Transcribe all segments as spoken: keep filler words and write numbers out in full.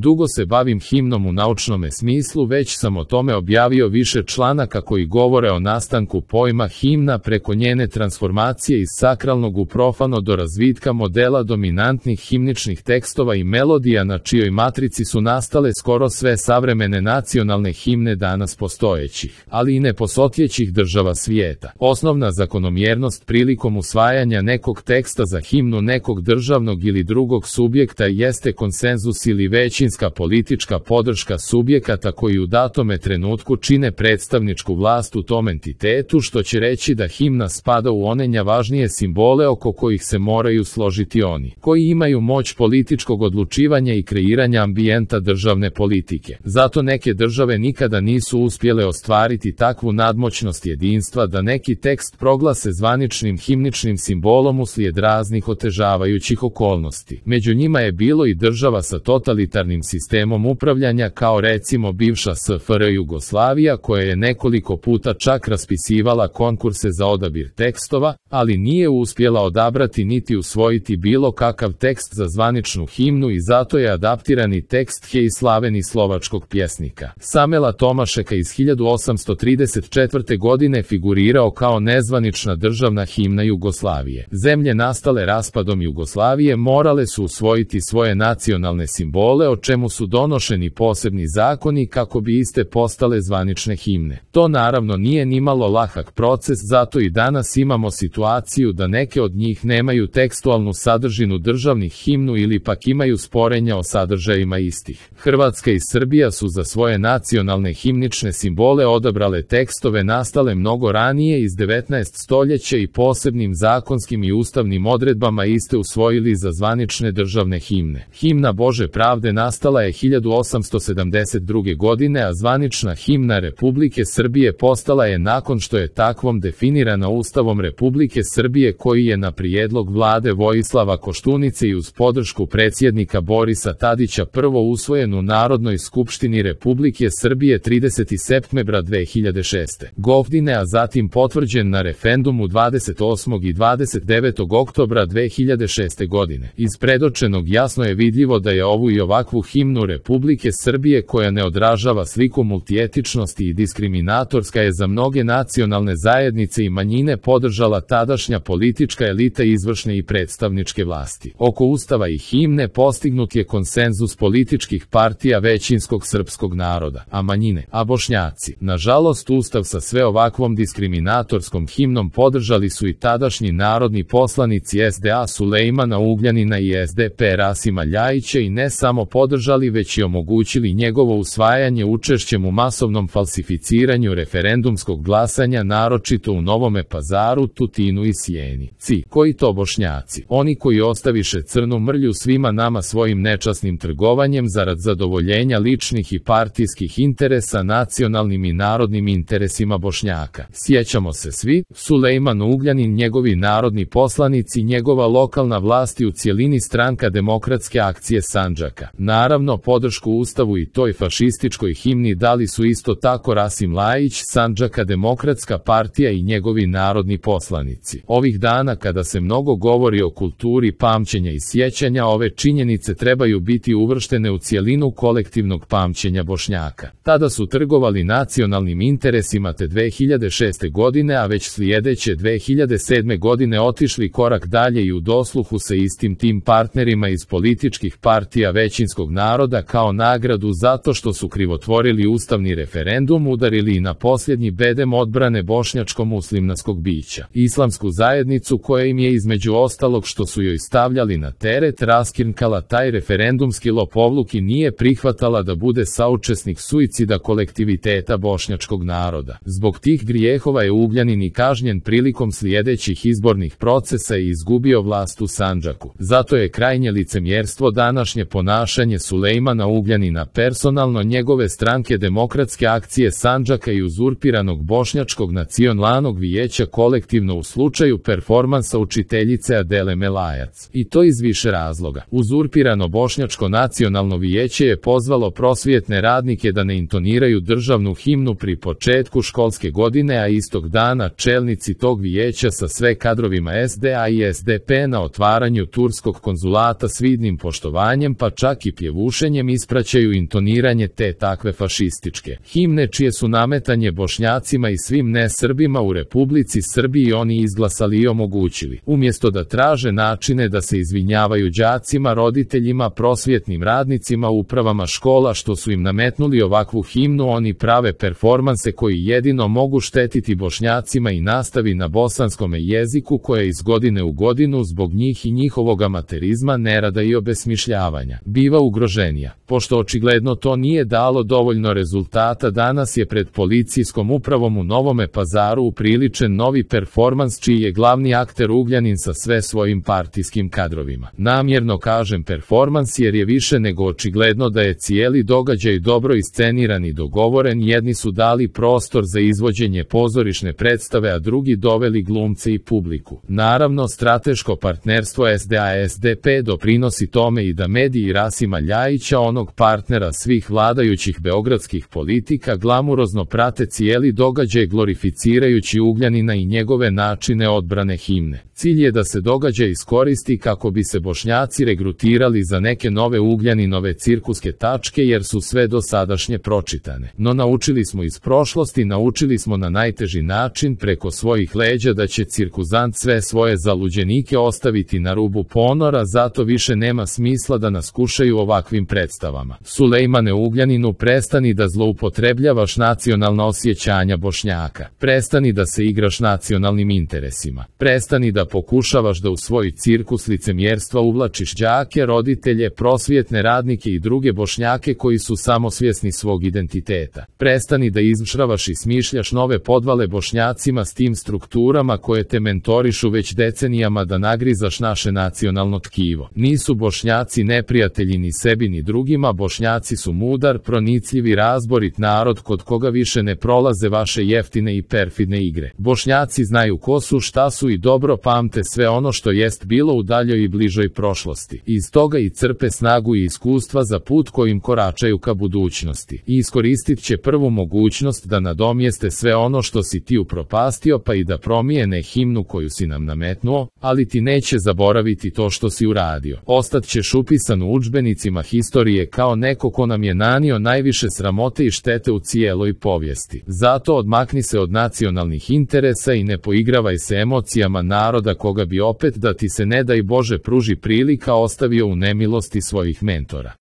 Dugo se bavim himnom u naučnome smislu, već sam o tome objavio više članaka koji govore o nastanku pojma himna preko njene transformacije iz sakralnog u profano do razvitka modela dominantnih himničnih tekstova i melodija na čijoj matrici su nastale skoro sve savremene nacionalne himne danas postojećih, ali i neposotjećih država svijeta. Osnovna zakonomjernost prilikom usvajanja nekog teksta za himnu nekog državnog ili drugog subjekta jeste konsenzus ili većinska politička podrška subjekata koji u datome trenutku čine predstavničku vlast u tom entitetu, što će reći da himna spada u one najvažnije simbole oko kojih se moraju složiti oni koji imaju moć političkog odlučivanja i kreiranja ambijenta državne politike. Zato neke države nikada nisu uspjele ostvariti takvu nadmoćnost jedinstva da neki tekst proglase zvaničnim himničnim simbolom uslijed raznih otežavajućih okolnosti. Među njima je bilo i država sa totalitarnim sistemom upravljanja kao recimo bivša S F R Jugoslavija, koja je nekoliko puta čak raspisivala konkurse za odabir tekstova, ali nije uspjela odabrati niti usvojiti bilo kakav tekst za zvaničnu himnu i zato je adaptirani tekst Hej slaveni slovačkog pjesnika Samela Tomašeka iz hiljadu osamsto trideset četvrte. godine figurirao kao nezvanična državna himna Jugoslavije. Zemlje nastale raspadom Jugoslavije morale su usvojiti svoje nacionalne simbole, o čemu su donošeni posebni zakoni kako bi iste postale zvanične himne. To naravno nije nimalo lahak proces, zato i danas imamo situaciju da neke od njih nemaju tekstualnu sadržinu državnih himnu ili pak imaju sporenja o sadržajima istih. Hrvatska i Srbija su za svoje nacionalne himnične simbole odabrale tekstove nastale mnogo ranije iz devetnaestog stoljeća i posebnim zakonskim i ustavnim odredbama iste usvojili za zvanične državne himne. Himna Bože pravde nastala je hiljadu osamsto sedamdeset druge. godine, a zvanična himna Republike Srbije postala je nakon što je takvom definirana Ustavom Republike Srbije, koji je na prijedlog vlade Vojislava Koštunice i uz podršku predsjednika Borisa Tadića prvo usvojen u Narodnoj skupštini Republike Srbije tridesetog septembra dve hiljade šeste. godine, a zatim potvrđen na referendumu dvadeset osmog i dvadeset devetog oktobra dve hiljade šeste. godine. Iz predočenog jasno je vidljivo da je ovu i ovakvu himnu Republike Srbije, koja ne odražava sliku multietičnosti i diskriminatorska je za mnoge nacionalne zajednice i manjine, podržala tadašnja politička elita izvršne i predstavničke vlasti. Oko Ustava i himne postignut je konsenzus političkih partija većinskog srpskog naroda, a manjine, a Bošnjaci. Nažalost, Ustav sa sve ovakvom diskriminatorskom himnom podržali su i tadašnji narodni poslanici S D A Sulejmana Ugljanina i S D P Rasima Ljajića i ne samo podržali, već i omogućili njegovo usvajanje učešćem u masovnom falsificiranju referendumskog glasanja, naročito u Novome Pazaru, Tutinu i Sjenici. Koji to Bošnjaci? Oni koji ostaviše crnu mrlju svima nama svojim nečasnim trgovanjem zarad zadovoljenja ličnih i partijskih interesa nacionalnim i narodnim interesima Bošnjaka. Sjećamo se svi, Sulejman Ugljanin, njegovi narodni poslanici, njegova lokalna vlast i u cjelini Stranka demokratske akcije Sandžaka. Naravno, podršku Ustavu i toj fašističkoj himni dali su isto tako Rasim Ljajić, Sandžaka demokratska partija i njegovi narodni poslanici. Ovih dana, kada se mnogo govori o kulturi pamćenja i sjećanja, ove činjenice trebaju biti uvrštene u cjelinu kolektivnog pamćenja Bošnjaka. Tada su trgovali nacionalnim interesima te dve hiljade šeste. godine, a već slijedeće dve hiljade sedme. godine otišli korak dalje i u dosluhu sa istim tim partnerima iz političkih partija većinskog naroda kao nagradu zato što su krivotvorili ustavni referendum udarili i na posljednji bedem odbrane bošnjačko-muslimanskog bića. Islamsku zajednicu, koja im je između ostalog što su joj stavljali na teret raskrinkala taj referendumski lopovluk i nije prihvatala da bude saučesnik suicida kolektiviteta bošnjačkog naroda. Zbog tih grijehova je Ugljanin i kažnjen prilikom sljedećih izbornih procesa i izgubio vlast u Sandžaku. Zato je krajnje licemjerstvo današnje ponašanje Sulejmana Ugljanina, personalno njegove Stranke demokratske akcije Sandžaka i uzurpiranog Bošnjačkog nacionalnog vijeća kolektivno u slučaju performansa učiteljice Adele Melajac. I to iz više razloga. Uzurpirano Bošnjačko nacionalno vijeće je pozvalo prosvjetne radnike da ne intoniraju državnu himnu pri početku školske godine, a istog dana čelnici tog vijeća sa sve kadrovima S D A i S D P na otvaranju turskog konzulata s vidnim poštovanjem pa čak i pjevanjem pjevušenjem ispraćaju intoniranje te takve fašističke himne čije su nametanje Bošnjacima i svim ne-Srbima u Republici Srbiji oni izglasali i omogućili. Umjesto da traže načine da se izvinjavaju đacima, roditeljima, prosvjetnim radnicima, upravama škola što su im nametnuli ovakvu himnu, oni prave performanse koji jedino mogu štetiti Bošnjacima i nastavi na bosanskome jeziku koje iz godine u godinu zbog njih i njihovog amaterizma, nerada i obesmišljavanja biva ugroženija. Pošto očigledno to nije dalo dovoljno rezultata, danas je pred policijskom upravom u Novome Pazaru upriličen novi performans čiji je glavni akter Ugljanin sa sve svojim partijskim kadrovima. Namjerno kažem performans jer je više nego očigledno da je cijeli događaj dobro isceniran i dogovoren. Jedni su dali prostor za izvođenje pozorišne predstave, a drugi doveli glumce i publiku. Naravno, strateško partnerstvo S D A S D P doprinosi tome i da mediji Rasima Ljajića, onog partnera svih vladajućih beogradskih politika, glamurozno prate cijeli događaj glorificirajući Ugljanina i njegove načine odbrane himne. Cilj je da se događaj iskoristi kako bi se Bošnjaci regrutirali za neke nove Ugljaninove cirkuske tačke jer su sve dosadašnje pročitane. No naučili smo iz prošlosti, naučili smo na najteži način preko svojih leđa da će cirkuzant sve svoje zaluđenike ostaviti na rubu ponora, zato više nema smisla da nas kušaju ovakvim predstavama. Sulejmane Ugljaninu, prestani da zloupotrebljavaš nacionalna osjećanja Bošnjaka. Prestani da se igraš nacionalnim interesima. Prestani da pokušavaš da u svoj cirkus licemjerstva uvlačiš đake, roditelje, prosvjetne radnike i druge Bošnjake koji su samosvjesni svog identiteta. Prestani da izmšravaš i smišljaš nove podvale Bošnjacima s tim strukturama koje te mentorišu već decenijama da nagrizaš naše nacionalno tkivo. Nisu Bošnjaci neprijatelji ni sebi ni drugima, Bošnjaci su mudar, pronicljivi, razborit narod kod koga više ne prolaze vaše jeftine i perfidne igre. Bošnjaci znaju ko su, šta su i dobro pamte sve ono što jest bilo u daljoj i bližoj prošlosti. Iz toga i crpe snagu i iskustva za put kojim koračaju ka budućnosti. I iskoristit će prvu mogućnost da nadomjeste sve ono što si ti upropastio, pa i da promijene himnu koju si nam nametnuo, ali ti neće zaboraviti to što si uradio. Ostat ćeš upisan u udžbenicima historije kao neko ko nam je nanio najviše sramote i štete u cijeloj povijesti. Zato odmakni se od nacionalnih interesa i ne poigravaj se emocijama naroda koga bi opet, da ti se ne daj Bože pruži prilika, ostavio u nemilosti svojih mentora.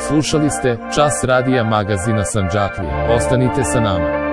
Slušali ste Čas radija magazina Sandžaklija. Ostanite sa nama.